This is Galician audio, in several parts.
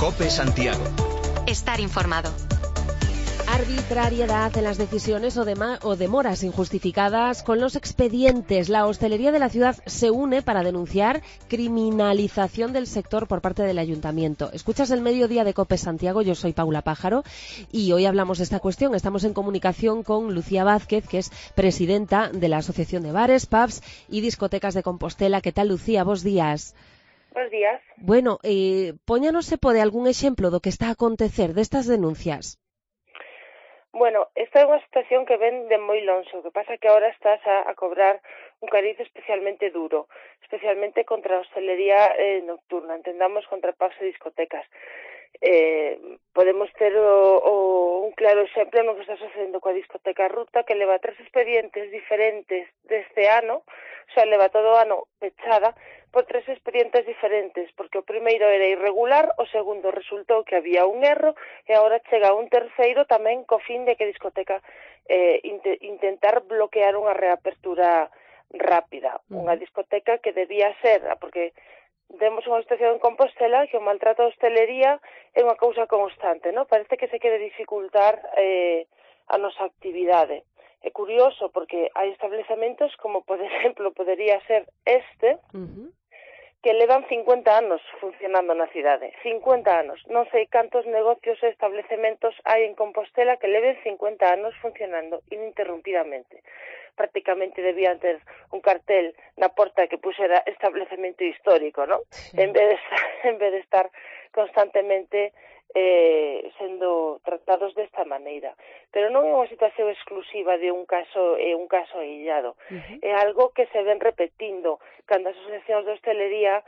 COPE Santiago. Estar informado. Arbitrariedad en las decisiones o demoras injustificadas con los expedientes. La hostelería de la ciudad se une para denunciar criminalización del sector por parte del ayuntamiento. Escuchas el Mediodía de COPE Santiago, yo soy Paula Pájaro y hoy hablamos de esta cuestión. Estamos en comunicación con Lucía Vázquez, que es presidenta de la Asociación de Bares, Pubs y Discotecas de Compostela. ¿Qué tal, Lucía? Bos días. Bos días. Bueno, póñanos se pode algún exemplo do que está a acontecer destas denuncias. Bueno, esta é unha situación que ven de moi lonxe, o que pasa que agora estás a cobrar un cariz especialmente duro, especialmente contra a hostelería nocturna, entendamos contra pubs e discotecas. Podemos ter un claro exemplo no que está sucedendo coa discoteca Ruta, que leva 3 expedientes diferentes deste ano, o sea, leva todo o ano pechada por 3 expedientes diferentes, porque o primeiro era irregular, o segundo resultou que había un erro, e agora chega un terceiro tamén co fin de que a discoteca intentar bloquear unha reapertura rápida. Unha discoteca que debía ser, porque temos unha situación en Compostela que o maltrato da hostelería é unha cousa constante, non? Parece que se quere dificultar a nosa actividade. É curioso porque hai establecementos como, por exemplo, podería ser este, que levan 50 anos funcionando na cidade. 50 anos. Non sei cantos negocios e establecementos hai en Compostela que leven 50 anos funcionando ininterrumpidamente. Prácticamente debían ter un cartel na porta que puxera establecemento histórico, ¿no? Sí. En vez de estar constantemente sendo tratados desta maneira. Pero non é unha situación exclusiva de un caso illado. É algo que se ven repetindo. Cando as asociacións de hostelería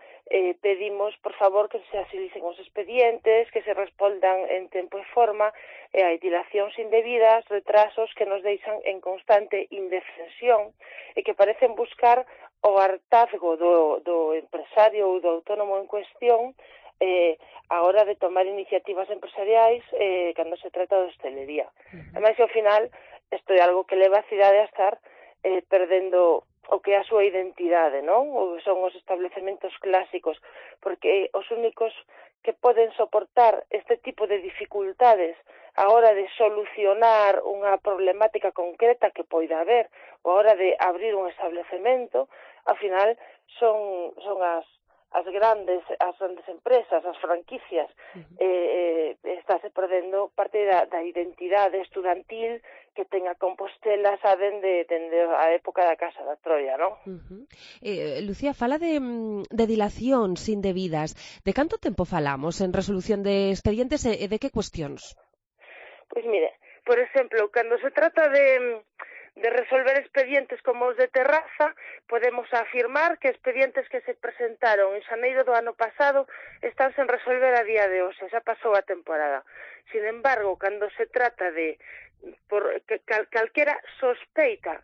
pedimos, por favor, que se agilicen os expedientes, que se respondan en tempo e forma, e hai dilacións indebidas, retrasos que nos deixan en constante indefensión e que parecen buscar o hartazgo do empresario ou do autónomo en cuestión a hora de tomar iniciativas empresariais cando se trata de hostelería. Ademais, ao final, isto é algo que leva a cidade a estar perdendo o que é a súa identidade, non? Ou son os establecementos clásicos, porque os únicos que poden soportar este tipo de dificultades a hora de solucionar unha problemática concreta que poida haber, ou a hora de abrir un establecemento, ao final son as grandes empresas, as franquicias. Estáse perdendo parte da identidade estudantil que ten a Compostela, saben, dende a época da Casa da Troia, non? Lucía, fala de dilacións indebidas. De canto tempo falamos en resolución de expedientes e de que cuestións? Pois mire, por exemplo, cando se trata de resolver expedientes como os de terraza, podemos afirmar que expedientes que se presentaron en xaneiro do ano pasado están sen resolver a día de hoxe, xa pasou a temporada. Sin embargo, cando se trata de calquera sospeita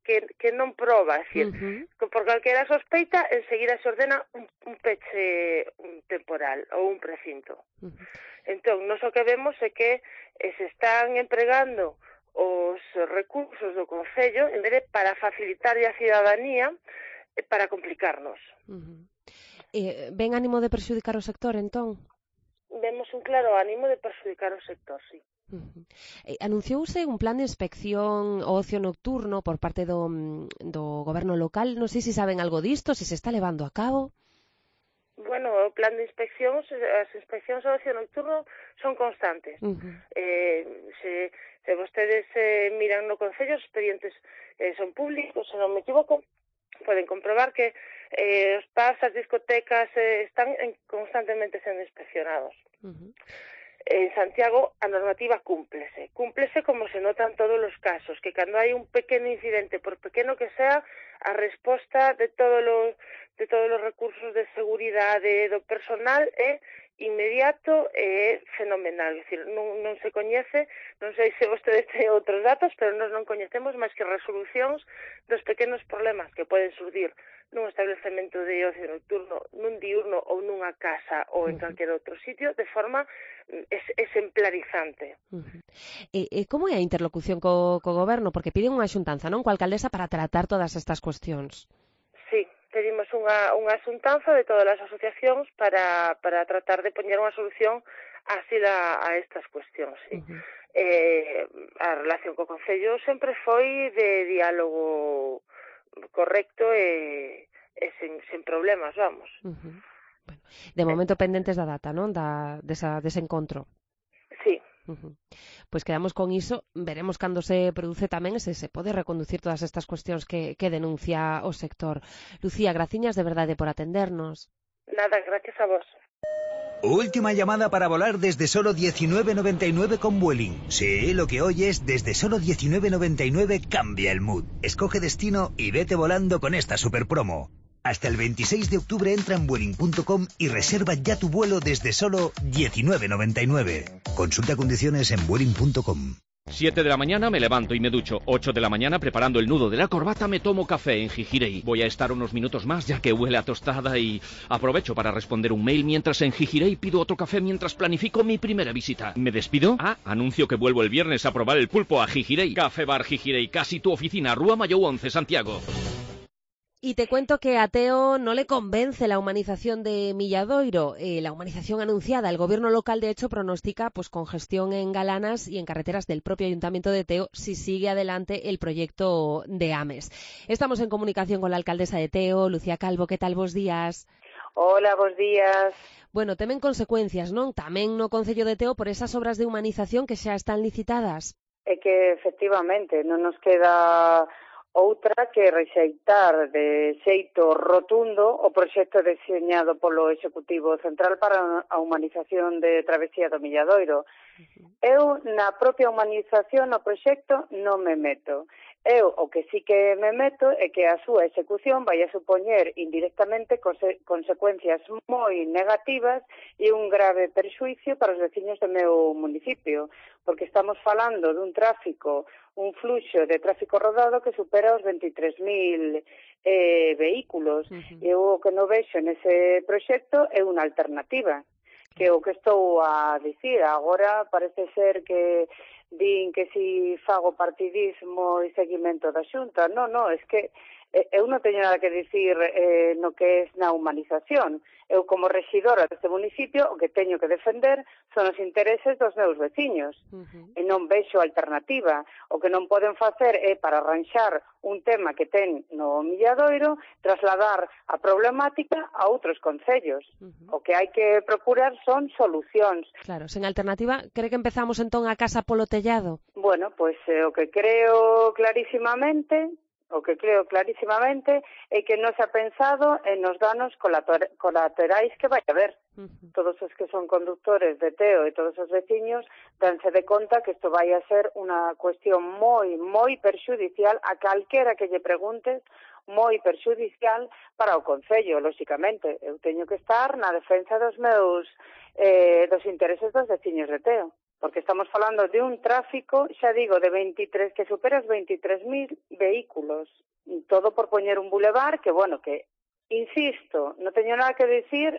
que non proba, é dicir, por calquera sospeita, enseguida se ordena un peche temporal ou un precinto. Entón, nós o que vemos é que se están empregando os recursos do Concello, en vez de para facilitar a cidadanía, para complicarnos. Ven ánimo de perxudicar o sector, entón? Vemos un claro ánimo de perxudicar o sector, sí. Anunciouse un plan de inspección ao ocio nocturno por parte do goberno local. Non sei se saben algo disto, se está levando a cabo. Bueno, o plan de inspeccións, as inspeccións ao ocio nocturno son constantes. Se vostedes miran no Concello, os expedientes son públicos, se non me equivoco, poden comprobar que os pubs, as discotecas están constantemente sendo inspeccionados. En Santiago a normativa cúmplese como se notan todos os casos, que cando hai un pequeno incidente, por pequeno que sea, a resposta de todos os recursos de seguridade do personal é inmediato e fenomenal. É dicir, non se coñece, non sei se vostedes ten outros datos, pero nós non coñecemos máis que resolucións dos pequenos problemas que poden surdir nun establecemento de ocio nocturno, nun diurno ou nunha casa ou en calquer outro sitio, de forma exemplarizante. E como é a interlocución co goberno? Porque piden unha xuntanza, non? Coa alcaldesa para tratar todas estas cuestións. Sí, pedimos unha xuntanza de todas as asociacións para tratar de poñer unha solución a estas cuestións, sí. A relación co Concello sempre foi de diálogo correcto e sen problemas, vamos. Bueno, de momento pendentes da data, non? Dese encontro. Sí. Pois quedamos con iso, veremos cando se produce tamén se pode reconducir todas estas cuestións que denuncia o sector. Lucía, graciñas de verdade por atendernos. Nada, gracias a vos. Última llamada para volar desde solo 19,99 con Vueling. Sí, lo que oyes, desde solo 19,99 cambia el mood. Escoge destino y vete volando con esta super promo. Hasta el 26 de octubre entra en Vueling.com y reserva ya tu vuelo desde solo 19,99. Consulta condiciones en Vueling.com. 7 de la mañana me levanto y me ducho. 8 de la mañana preparando el nudo de la corbata me tomo café en Gijirei. Voy a estar unos minutos más ya que huele a tostada y aprovecho para responder un mail mientras en Gijirei pido otro café mientras planifico mi primera visita. ¿Me despido? Anuncio que vuelvo el viernes a probar el pulpo a Gijirei. Café Bar Gijirei, casi tu oficina, Rúa Mayou 11, Santiago. Y te cuento que a Teo no le convence la humanización de Milladoiro. La humanización anunciada, el gobierno local de hecho pronostica pues congestión en galanas y en carreteras del propio ayuntamiento de Teo si sigue adelante el proyecto de Ames. Estamos en comunicación con la alcaldesa de Teo, Lucía Calvo. ¿Qué tal? Bos días. Hola, bos días. Bueno, temen consecuencias, non? Tamén no Concello de Teo por esas obras de humanización que xa están licitadas. É que efectivamente non nos queda outra que rexeitar de xeito rotundo o proxecto deseñado polo Executivo Central para a humanización de Travesía do Milladoiro. Eu, na propia humanización, no proxecto, non me meto. Eu, o que sí que me meto é que a súa execución vai a supoñer indirectamente consecuencias moi negativas e un grave perxuicio para os veciños do meu municipio, porque estamos falando dun tráfico, un fluxo de tráfico rodado que supera os 23.000 vehículos. E o que non vexo nese proxecto é unha alternativa, que o que estou a dicir agora parece ser que din que si fago partidismo e seguimento da Xunta. Non, é que eu non teño nada que dicir no que é na humanización. Eu, como rexidora deste municipio, o que teño que defender son os intereses dos meus veciños. E non vexo alternativa. O que non poden facer é, para arranxar un tema que ten no Milladoiro, trasladar a problemática a outros concellos. O que hai que procurar son solucións. Claro, sen alternativa, cree que empezamos entón a casa polo tellado? Bueno, pois o que creo clarísimamente é que non se ha pensado en os danos colaterais que vai haber. Todos os que son conductores de Teo e todos os veciños danse de conta que isto vai a ser unha cuestión moi perxudicial a calquera que lle preguntes, moi perxudicial para o Concello, lóxicamente. Eu teño que estar na defensa dos meus dos intereses dos veciños de Teo. Porque estamos falando de un tráfico, xa digo, de 23, que supera os 23.000 vehículos. Todo por poñer un bulevar que, bueno, que, insisto, non teño nada que dicir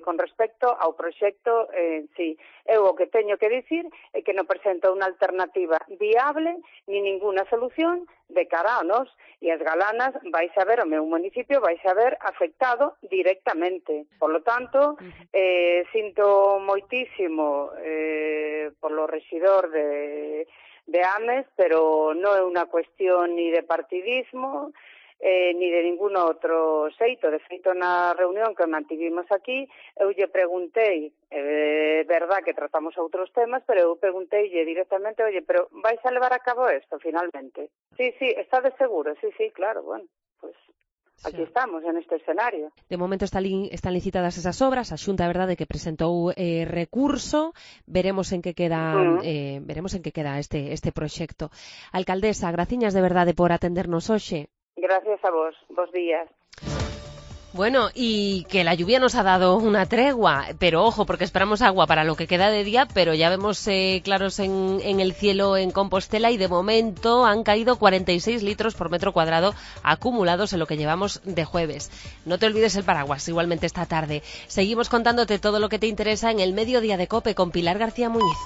con respecto ao proxecto en sí. Eu o que teño que dicir é que non presenta unha alternativa viable ni ninguna solución de cara a nós. E as galanas vais a ver, o meu municipio vais a ver afectado directamente. Por lo tanto, sinto moitísimo polo rexidor de Ames, pero non é unha cuestión ni de partidismo, ni de ningún outro xeito. De feito, na reunión que mantivimos aquí, eu lle preguntei, é verdad que tratamos outros temas, pero eu pregunteille directamente, oye, pero vais a levar a cabo isto finalmente? Sí, está de seguro, sí, claro, bueno, pues aquí estamos, en este escenario. De momento están licitadas esas obras, a Xunta, é verdade, que presentou recurso, veremos en que queda este proxecto. Alcaldesa, graciñas de verdade por atendernos hoxe. Gracias a vos, bos días. Bueno, y que la lluvia nos ha dado una tregua, pero ojo, porque esperamos agua para lo que queda de día, pero ya vemos claros en el cielo en Compostela y de momento han caído 46 litros por metro cuadrado acumulados en lo que llevamos de jueves. No te olvides el paraguas, igualmente esta tarde. Seguimos contándote todo lo que te interesa en el Mediodía de COPE con Pilar García Muñiz.